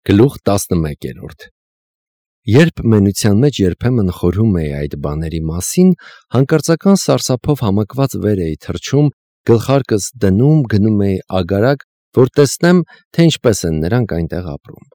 Գլուխ 11 Երբ մենության մեջ երբեմն խորհում էի այդ բաների մասին, հանկարծական սարսափով համակված վեր էի թռչում, գլխարկս դնում, գնում էի ագարակ, որ տեսնեմ, թե ինչպես են նրանք այնտեղ ապրում։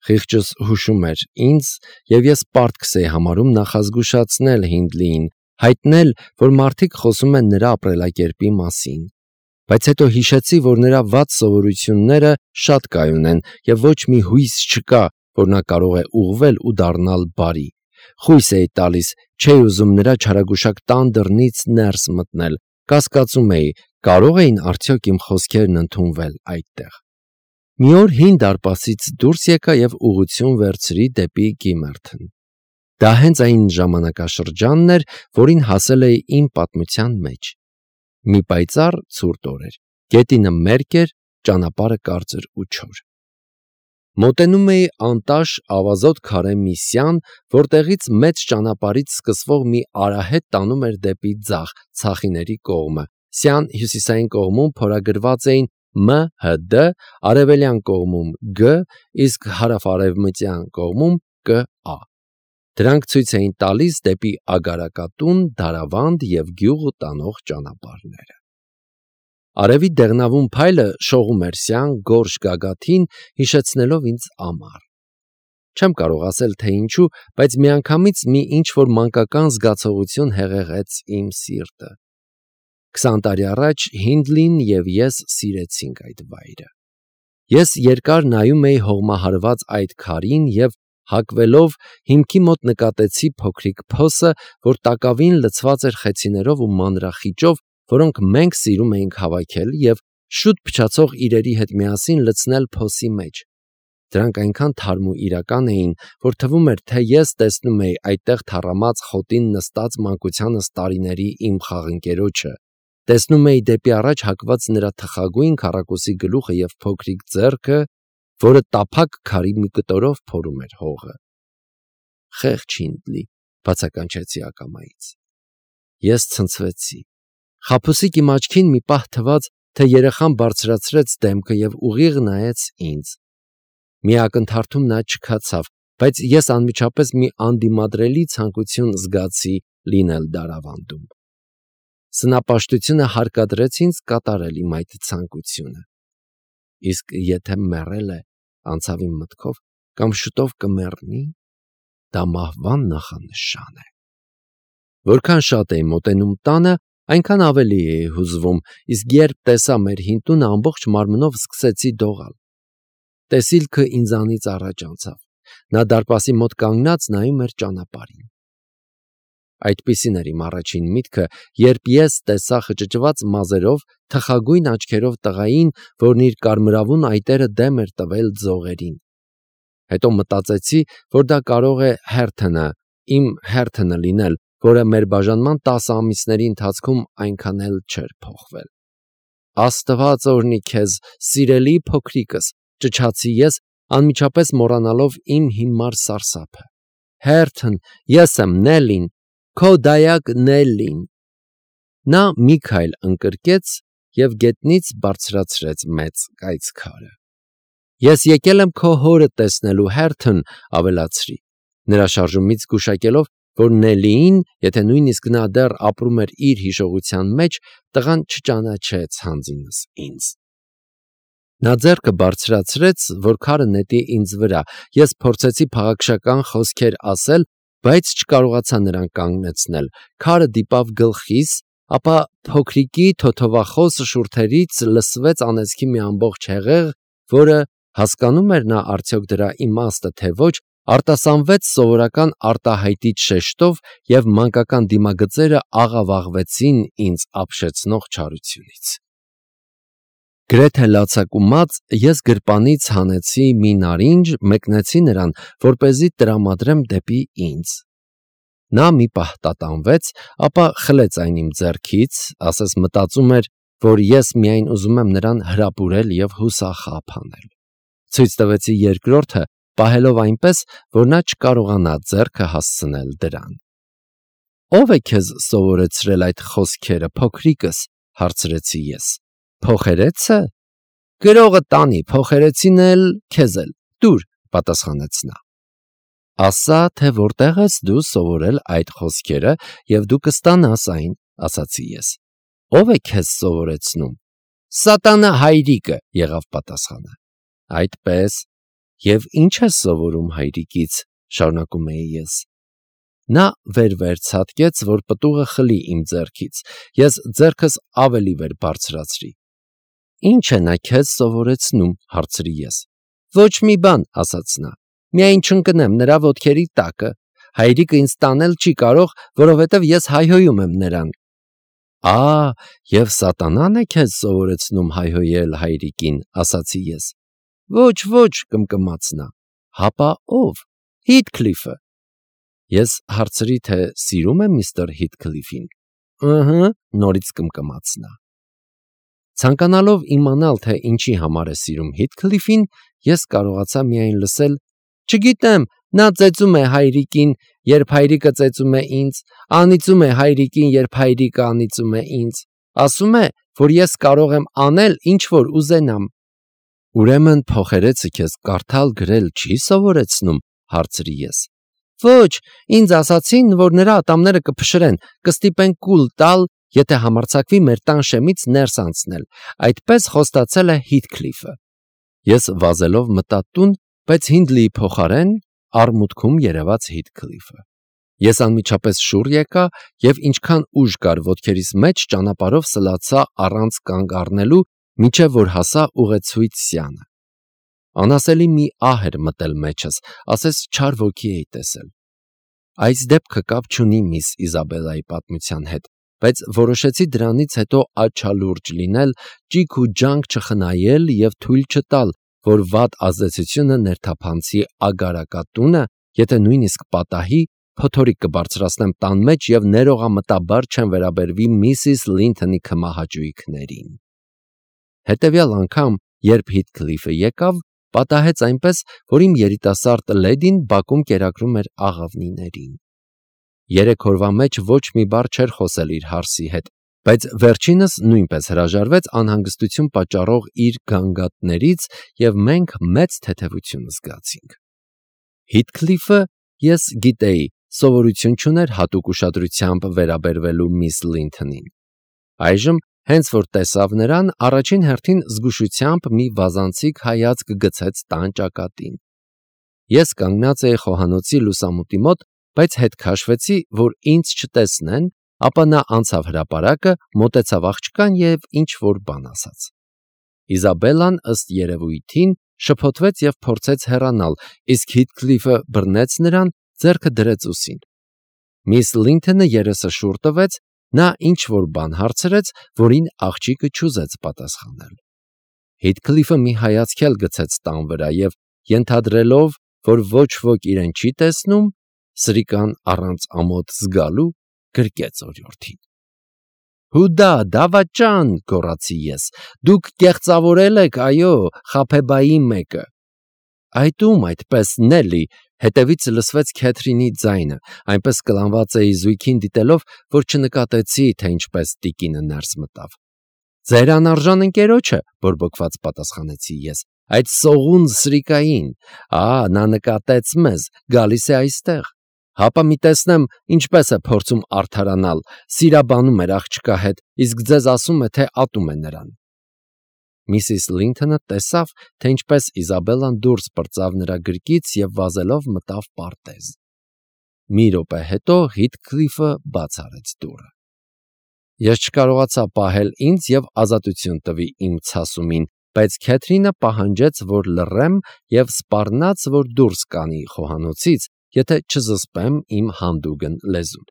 Խիղճս հուշում էր ինձ, և ես պարտքս էի համարում նախազգուշացնել Հինդլիին, հայտնել, որ մարդիկ խոսում են նրա ապրելակերպի մասին։ Բայց հետո հիշեցի, որ նրա վատ սովորությունները շատ կայուն են և ոչ մի հույս չկա, որ նա կարող է ուղղվել ու դառնալ բարի։ Խույս էի տալիս, չէի ուզում նրա չարագուշակ տան դռնից ներս մտնել, կասկածում էի, կարո՞ղ էին արդյոք իմ խոսքերն ընդունվել այդտեղ։ Մի օր հին դարպասից դուրս եկա և ուղղություն վերցրի դեպի Գիմերթն։ Դա հենց այն ժամանակաշրջանն էր, որին հասել էի իմ պատմության մեջ։ Մի պայծառ ցուրտ օր էր, գետինը մերկ էր, ճանապարհը կարճ ու չոր։ Մոտենում էի անտաշ ավազոտ քարե մի սյան, որտեղից մեծ ճանապարհից սկսվող մի արահետ տանում էր դեպի ձախ, Ցախիների կողմը։ Սյան հյուսիսային կողմում փորագրված էին ՄՀԴ, արևելյան կողմում Գ, իսկ հարավ-արևմտյան կողմում ԿԱ։ Դրանք ցույց էին տալիս դեպի Ագարակատուն, Դարավանդ և գյուղ տանող ճանապարհները։ Արևի դեղնավուն փայլը շողում էր սյան գորշ գագաթին, հիշեցնելով ինձ ամառ։ Չեմ կարող ասել, թե ինչու, բայց միանգամից մի ինչ-որ մանկական զգացողություն հեղեղեց իմ սիրտը։ 20 տարի առաջ Հինդլին և ես սիրեցինք այդ վայրը։ Ես երկար նայում էի հողմահարված այդ քարին և հակվելով հիմքի մոտ նկատեցի փոքրիկ փոսը, որ տակավին լցված էր խեցիներով ու մանրախիճով, որոնք մենք սիրում էինք հավաքել և շուտ փչացող իրերի հետ միասին լցնել փոսի մեջ։ Դրանք այնքան թարմ ու իրական էին, որ թվում էր, թե ես տեսնում էի այդտեղ թառամած խոտին նստած մանկությանս տարիների իմ խաղընկերոջը, տեսնում էի դեպի առաջ հակված նրա թխագույն քառակուսի գլուխը և փոքրիկ ձեռքը, որը տափակ քարի մի կտորով փորում էր հողը։ Խեղճ Հինդլի, բացականչեցի ակամայից։ Ես ցնցվեցի։ Խաբուսիկ իմ աչքին մի պահ թվաց, թե երեխան բարձրացրեց դեմքը և ուղիղ նայեց ինձ։ Մի ակնթարթում նա չքացավ, բայց ես անմիջապես մի անդիմադրելի ցանկություն զգացի լինել Դարավանդում։ Սնապաշտությունը հարկադրեց ինձ կատարել իմ այդ ցանկությունը։ Իսկ եթե մեռել է, անցավ իմ մտքով, կամ շուտով կմեռնի, դա մահվան նախանշան է։ Որքան շատ էի մոտենում տանը, այնքան ավելի էի հուզվում, իսկ երբ տեսա մեր հին տունը, ամբողջ մարմնով սկսեցի դողալ։ Տեսիլքը ինձանից առաջ անցավ։ Նա դարպասի մոտ կանգնած նայում էր ճանապարհին։ Այդպիսին էր իմ առաջին միտքը, երբ ես տեսա խճճված մազերով, թխագույն աչքերով տղային, որն իր կարմրավուն այտերը դեմ էր տվել ձողերին։ Հետո մտածեցի, որ դա կարող է Հերթոնը, իմ Հերթոնը լինել, որը մեր բաժանման 10 ամիսների ընթացքում այնքան էլ չէր փոխվել։ Աստված օրհնի քեզ, սիրելի փոքրիկս, ճչացի ես, անմիջապես մոռանալով իմ հիմար սարսափը։ Հերթոն, ես եմ Նելլին, քո դայակ Նելլին։ Նա մի քայլ ընկրկեց և գետնից բարձրացրեց մեծ կայծքարը։ Ես եկել եմ քո հորը տեսնելու, Հերթոն, ավելացրի, նրա շարժումից գուշակելով, որ Նելլիին, եթե նույնիսկ նա դեռ ապրում էր իր հիշողության մեջ, տղան չճանաչեց հանձինս ինձ։ Նա ձեռքը բարձրացրեց, որ քարը նետի ինձ վրա։ Ես փորձեցի փաղաքշական խոսքեր ասել, բայց չկարողացա նրան կանգնեցնել։ Քարը դիպավ գլխիս, ապա փոքրիկի թոթովախոս շուրթերից լսվեց անեծքի մի ամբողջ հեղեղ, որը, հասկանում էր նա արդյոք դրա իմաստը, թե ոչ, արտասանվեց սովորական արտահայտիչ շեշտով և մանկական դիմագծերը աղավաղվեցին ինձ ապշեցնող չարությունից։ Գրեթե լացակումած ես գրպանից հանեցի մի նարինջ, մեկնեցի նրան, որպեսզի տրամադրեմ դեպի ինձ։ Նա մի պահ տատանվեց, ապա խլեց այն իմ ձեռքից, ասես մտածում էր, որ ես միայն ուզում եմ նրան հրապուրել և հուսախաբ անել։ Ցույց տվեցի երկրորդը, պահելով այնպես, որ նա չկարողանա ձեռքը հասցնել դրան։ Ո՞վ է քեզ սովորեցրել այդ խոսքերը, փոքրիկս, հարցրեցի ես։ Փոխերեցը։ Գրողը տանի, փոխերեցին էլ քեզ էլ, տուր, պատասխանեց նա։ Ասա, թե որտեղ ես դու սովորել այդ խոսքերը, եւ դու կստանաս այն, ասացի ես։ Ո՞վ է քեզ սովորեցնում։ Սատանա հայրիկը, եղավ պատասխանը։ Այդպես, եւ ինչ ես սովորում հայրիկից, շարունակում էի ես։ Նա վեր ցատկեց, որ պտուղը խլի իմ ձեռքից։ Ես ձեռքս ավելի վեր բարձրացրի։ Ինչ է նա քեզ սովորեցնում, հարցրի ես։ Ոչ մի բան, ասաց նա։ Միայն չընկնեմ նրա ոտքերի տակը։ Հայրիկը ինձ տանել չի կարող, որովհետև ես հայհոյում եմ նրան։ Եվ սատանան է քեզ սովորեցնում հայհոյել հայրիկին, ասացի ես։ Ոչ, կմկմաց նա։ Հապա ով։ Հիթքլիֆը։ Ես հարցրի, թե սիրում է միստր Հիթքլիֆին։ Նորից կմկմաց նա։ Ցանկանալով իմանալ, թե ինչի համար է սիրում Հիթքլիֆին, ես կարողացա միայն լսել. Չգիտեմ, նա ծեծում է հայրիկին, երբ հայրիկը ծեծում է ինձ, անիծում է հայրիկին, երբ հայրիկը անիծում է ինձ, ասում է, որ ես կարող եմ անել, ինչ որ ուզենամ։ Ուրեմն փոխերեցը քեզ կարդալ գրել չի սովորեցնում, հարցրի ես։ Ոչ, ինձ ասացին, որ նրա ատամները կփշրեն, կստիպեն կուլ տալ, եթե համարձակվի մեր տան շեմից ներս անցնել։ Այդպես խոստացել է Հիթքլիֆը։ Ես վազելով մտա տուն, բայց Հինդլիի փոխարեն արմուտքում երևաց Հիթքլիֆը։ Ես անմիջապես շուռ եկա եւ ինչքան ուժ կար ոտքերիս մեջ ճանապարհով սլացա առանց կանգ առնելու, մինչեւ որ հասա ուղեցույց սյանը։ Անասելի մի ահ էր մտել մեջս, ասես չար ոգի էի տեսել։ Այս դեպքը կապ չունի միս Իզաբելայի պատմության հետ, բայց որոշեցի դրանից հետո աչալուրջ լինել, ճիգ ու ջանք չխնայել եւ թույլ չտալ, որ վատ ազդեցությունը ներթափանցի ագարակատունը, եթե նույնիսկ պատահի, փոթորիկ կբարձրացնեմ տան մեջ եւ ներողամտաբար չեմ վերաբերվի միսիս Լինթոնի քմահաճույքներին։ Հետևյալ անգամ, երբ Հիթքլիֆը եկավ, պատահեց այնպես, որ իմ երիտասարդ լեդին բակում կերակրում էր աղավնիներին։ 3 օրվա մեջ ոչ մի բառ չէր խոսել իր հարսի հետ, բայց վերջինս նույնպես հրաժարվեց անհանգստություն պատճառող իր գանգատներից եւ մենք մեծ թեթևություն զգացինք։ Հիթքլիֆը, ես գիտեի, սովորություն չուներ հատուկ ուշադրությամբ վերաբերվելու միս Լինթոնին։ Այժմ, հենց որ տեսավ նրան, առաջին հերթին զգուշությամբ մի վազանցիկ հայացք գցեց տան ճակատին։ Ես կանգնած էի խոհանոցի լուսամուտի մոտ, բայց հետ քաշվեցի, որ ինձ չտեսնեն, ապա նա անցավ հրապարակը, մոտեցավ աղջկան եւ ինչ որ բան ասաց։ Իզաբելան ըստ երևույթին շփոթվեց եւ փորձեց հեռանալ, իսկ Հիթքլիֆը բռնեց նրան, ձեռքը դրեց ուսին։ Միս Լինթոնը երեսը շուռ տվեց, նա ինչ որ բան հարցրեց, որին աղջիկը չուզեց պատասխանել։ Հիթքլիֆը մի հայացք էլ գցեց տան վրա եւ ենթադրելով, որ ոչ ոք իրեն չի տեսնում, սրիկան առանց ամոթ զգալու գրկեց օրիորդին։ Հուդա, դավաճան, գոռացի ես, դուք կեղծավորել եք, այո, Խափեբայի մեկը։ Այդ ում այդպես Նելի, հետևից լսվեց Քեթրինի ձայնը, այնպես կլանված էի զույգին դիտելով, որ չնկատեցի, թե ինչպես տիկինը ներս մտավ։ Ձեր անարժան ընկերոջը, բորբոքված պատասխանեցի ես, այդ սողուն սրիկային, նա նկատեց մեզ, գալիս է այստեղ։ Հապա մի տեսնեմ, ինչպես է փորձում արդարանալ, սիրաբանում էր աղջկա հետ, իսկ ձեզ ասում է, թե ատում է նրան։ Միսիս Լինթոնը տեսավ, թե ինչպես Իզաբելան դուրս պրծավ նրա գրկից եւ վազելով մտավ պարտեզ։ Մի րոպե հետո Հիթքլիֆը բաց արեց դուռը։ Ես չկարողացա պահել ինձ եւ ազատություն տվի իմ ցասումին, բայց Քեթրինը պահանջեց, որ լռեմ եւ սպառնաց, որ դուրս կանի խոհանոցից, եթե չզսպեմ իմ հանդուգն լեզուն։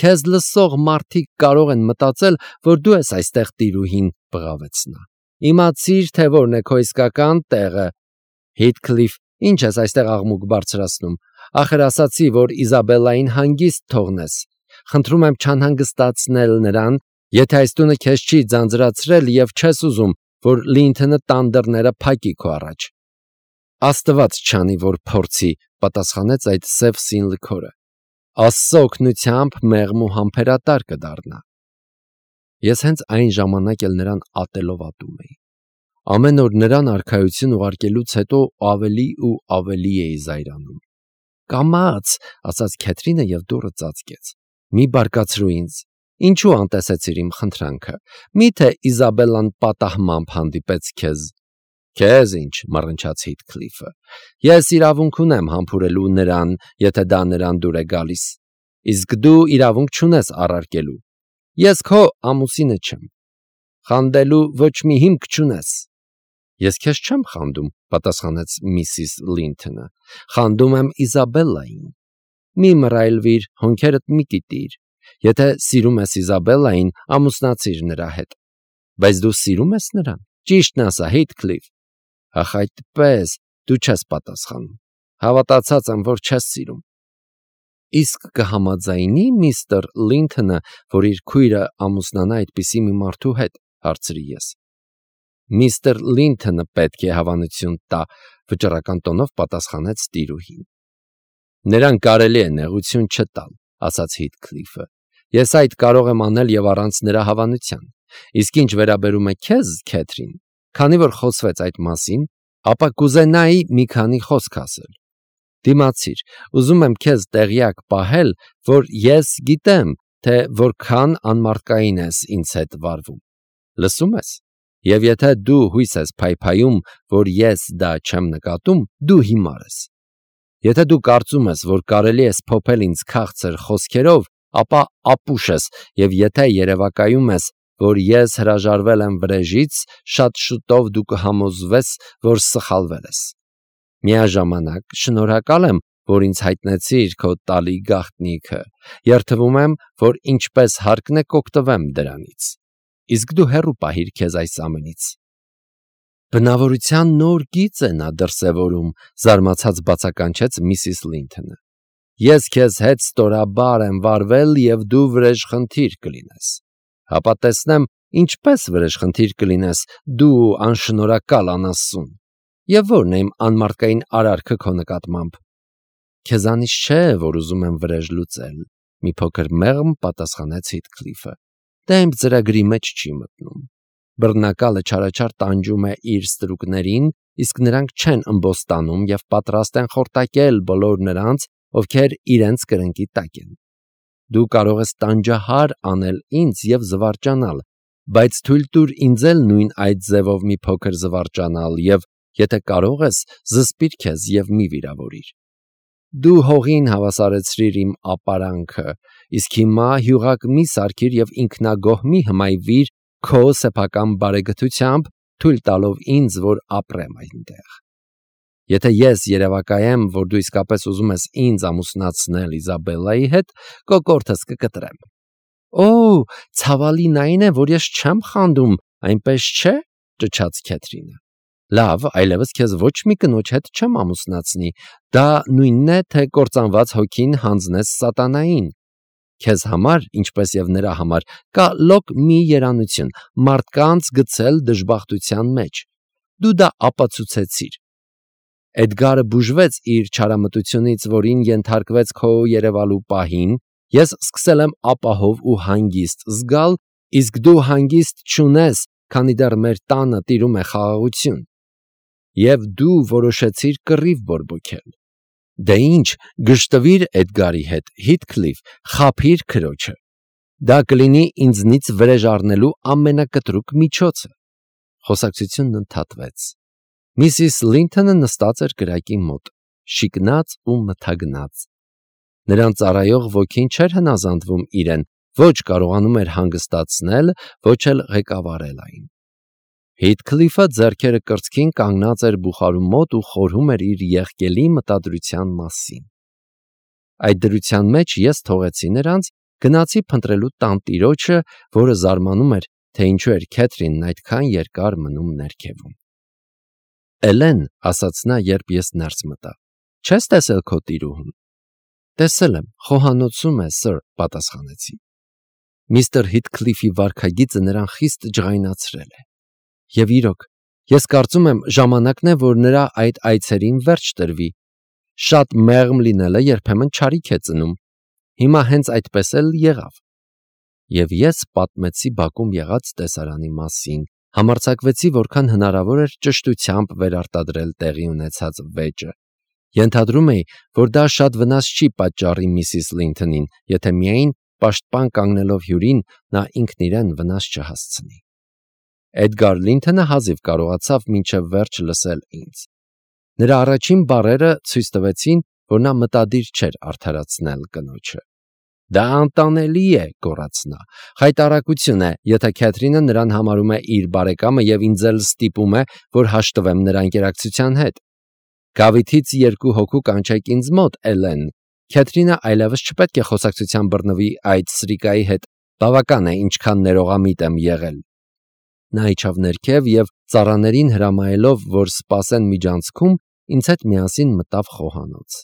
Քեզ լսող մարդիկ կարող են մտածել, որ դու ես այստեղ տիրուհին, բղավեց նա։ Իմացիր, թե որն է քո իսկական տեղը։ Հիթքլիֆ, ինչ ես այստեղ աղմուկ բարձրացնում։ Ախր ասացի, որ Իզաբելային հանգիստ թողնես։ Խնդրում եմ չանհանգստացնել նրան, եթե այս տունը քեզ չի ձանձրացրել եւ չես ուզում, որ Լինթոնը տան դռները փակի քո առաջ։ Աստված չանի, որ փորձի, պատասխանեց այդ սև սին լքորը։ Աստծո օգնությամբ մեղմ ու համբերատար կդառնա։ Ես հենց այն ժամանակ էլ նրան ատելով ատում էի։ Ամեն օր նրան արքայություն ուղարկելուց հետո ավելի ու ավելի էի զայրանում։ «Կամաց», ասաց Քեթրինը և դուռը ծածկեց։ «Մի բարկացրու ինձ։ Ինչու անտեսեցիր իմ խնդրանքը։ Միթե Իզաբելլան պատահմամբ հանդիպեց քեզ»։ «Քեզ ինչ», մռնչաց Հիթքլիֆը։ «Ես իրավունք ունեմ համբուրելու նրան, եթե դա նրան դուր է գալիս։ Իսկ դու իրավունք չունես առարկելու։ Ես քո ամուսինը չեմ։ Խանդելու ոչ մի հիմք չունես»։ «Ես քեզ չեմ խանդում», պատասխանեց միսիս Լինթոնը։ «Խանդում եմ Իզաբելլային»։ «Մի մռայլվիր, հոնքերդ մի կիտիր։ Եթե սիրում ես Իզաբելլային, ամուսնացիր նրա հետ»։ «Բայց դու սիրում ես նրան։ Ճիշտն ասա, Հիթքլիֆ»։ «Ախ, այդպես, դու չես պատասխանում։ Հավատացած եմ, որ չես սիրում»։ «Իսկ կհամաձայնի՞ միստր Լինթոնը, որ իր քույրը ամուսնանա այդպիսի մի մարդու հետ», հարցրի ես։ «Միստր Լինթոնը պետք է հավանություն տա», վճռական տոնով պատասխանեց տիրուհին։ «Նրան կարելի է նեղություն չտալ», ասաց Հիթքլիֆը։ «Ես այդ կարող եմ անել և առանց նրա հավանության։ Իսկ ինչ վերաբերում է քեզ, Քեթրին, քանի որ խոսվեց այդ մասին, ապա կուզենայի մի քանի խոսք ասել։ Դիմացիր, ուզում եմ քեզ տեղյակ պահել, որ ես գիտեմ, թե որքան անմարդկային ես ինձ հետ վարվում։ Լսում ես։ Եվ եթե դու հույս ես փայփայում, որ ես դա չեմ նկատում, դու հիմար ես։ Եթե դու կարծում ես, որ կարելի է սփոփել ինձ քաղցր խոսքերով, ապա ապուշ ես, և եթե երևակայում ես, որ ես հրաժարվել եմ վրեժից, շատ շուտով դու կհամոզվես, որ սխալվել ես։ Միաժամանակ շնորհակալ եմ, որ ինձ հայտնեցիր քո տալի գաղտնիքը։ Երդվում եմ, որ ինչպես հարկն է կօգտվեմ դրանից։ Իսկ դու հեռու պահիր քեզ այս ամենից»։ «Բնավորության նոր գիծ է նա դրսևորում», զարմացած բացականչեց միսիս Լինթոնը։ «Ես քեզ հետ ստորաբար եմ վարվել, և դու վրեժխնդիր կլինես։ Հապա տեսնեմ, ինչպես վրեժխնդիր կլինես դու անշնորհակալ անասուն։ Եվ ո՞րն է իմ անմարդկային արարքը քո նկատմամբ»։ «Քեզանից չէ, որ ուզում եմ վրեժ լուծել», մի փոքր մեղմ պատասխանեց Հիթքլիֆը։ «Դա իմ ծրագրի մեջ չի մտնում։ Բռնակալը չարաչար տանջում է իր ստրուկներին, իսկ նրանք չեն ըմբոստանում և պատրաստ են խորտակել բոլոր նրանց, ովքեր իրենց կրնկի տակ են։ Դու կարող ես տանջահար անել ինձ և զվարճանալ, բայց թույլ տուր ինձ էլ նույն այդ ձևով մի փոքր զվարճանալ և, եթե կարող ես, զսպիր քեզ և մի վիրավորիր։ Դու հողին հավասարեցրիր իմ ապարանքը, իսկ հիմա հյուղակ մի սարքիր և ինքնագոհ մի հմայվիր քո սեփական բարեգթությամբ, թույլ տալով ինձ, որ ապրեմ այնտեղ։ Եթե ես երևակայեմ, որ դու իսկապես ուզում ես ինձ ամուսնացնել Իզաբելլայի հետ, կոկորդս կկտրեմ»։ «Օ, ցավալին այն է, որ ես չեմ խանդում, այնպես չէ», ճչաց Քեթրինը։ «Լավ, այլևս քեզ ոչ մի կնոջ հետ չեմ ամուսնացնի, դա նույնն է, թե կործանված հոգին հանձնես սատանային։ Քեզ համար, ինչպես և նրա համար, կա լոկ մի երանություն՝ մարդկանց գցել դժբախտության մեջ։ Դու դա ապացուցեցիր։ Էդգարը բուժվեց իր չարամտությունից, որին ենթարկվեց քո երևալու պահին, ես սկսել եմ ապահով ու հանգիստ զգալ, իսկ դու հանգիստ չունես, քանի դեռ մեր տանը տիրում է խաղաղություն։ Եվ դու որոշեցիր կռիվ բորբոքել։ Դե ինչ, գժտվիր Էդգարի հետ, Հիթքլիֆ, խաբիր քրոջը։ Դա կլինի ինձնից վրեժ առնելու ամենակտրուկ միջոցը»։ Խոսակցությունն ընդհատվեց։ Միսիս Լինթոնը նստած էր կրակի մոտ, շիկնած ու մթագնած։ Նրան ծառայող ոգին չէր հնազանդվում իրեն, ոչ կարողանում էր հանգստացնել, ոչ էլ ղեկավարել այն։ Հիթքլիֆը ձեռքերը կրծքին կանգնած էր բուխարու մոտ ու խորհում էր իր եղկելի մտադրության մասին։ Այդ դրության մեջ ես թողեցի նրանց, գնացի փնտրելու տանտիրոջը, որը զարմանում էր, թե ինչու էր Քեթրինն այդքան երկար մնում ներքևում։ «Էլեն», ասաց նա, երբ ես ներս մտա, «չես տեսել քո տիրուհուն»։ «Տեսել եմ, խոհանոցում է, սըր», պատասխանեցի։ Միստր Հիթքլիֆի վարքագիծը նրան խիստ ջղայնացրել է։ Եվ իրոք, ես կարծում եմ, ժամանակն է, որ նրա այդ այցերին վերջ տրվի։ Շատ մեղմ լինելը երբեմն չարիք է ծնում։ Հիմա հենց այդպես էլ եղավ։ Եվ ես պատմեցի բակում եղած տեսարանի մասին, Համարձակվեցի որքան հնարավոր էր ճշտությամբ վերարտադրել տեղի ունեցած վեճը։ Ենթադրում էի, որ դա շատ վնաս չի պատճառի միսիս Լինթոնին, եթե միայն պաշտպան կանգնելով հյուրին նա ինքն իրեն վնաս չհասցնի։ Էդգար Լինթոնը հազիվ կարողացավ մինչև վերջ լսել ինձ։ Նրա առաջին բառերը ցույց տվեցին, որ նա մտադիր չէր արդարացնել կնոջը։ «Դա անտանելի է», գոռաց նա։ «Խայտառակություն է, եթե Քեթրինը նրան համարում է իր բարեկամը և ինձ էլ ստիպում է, որ հաշտվեմ նրա ընկերակցության հետ։ Գավիթից 2 հոգու կանչեք ինձ մոտ, Էլեն։ Քեթրինը այլևս չպետք է խոսակցության բռնվի այդ սրիկայի հետ, բավական է, ինչքան ներողամիտ եմ եղել»։ Նա իջավ ներքև և ծառաներին հրամայելով, որ սպասեն միջանցքում, ինձ հետ միասին մտավ խոհանոց։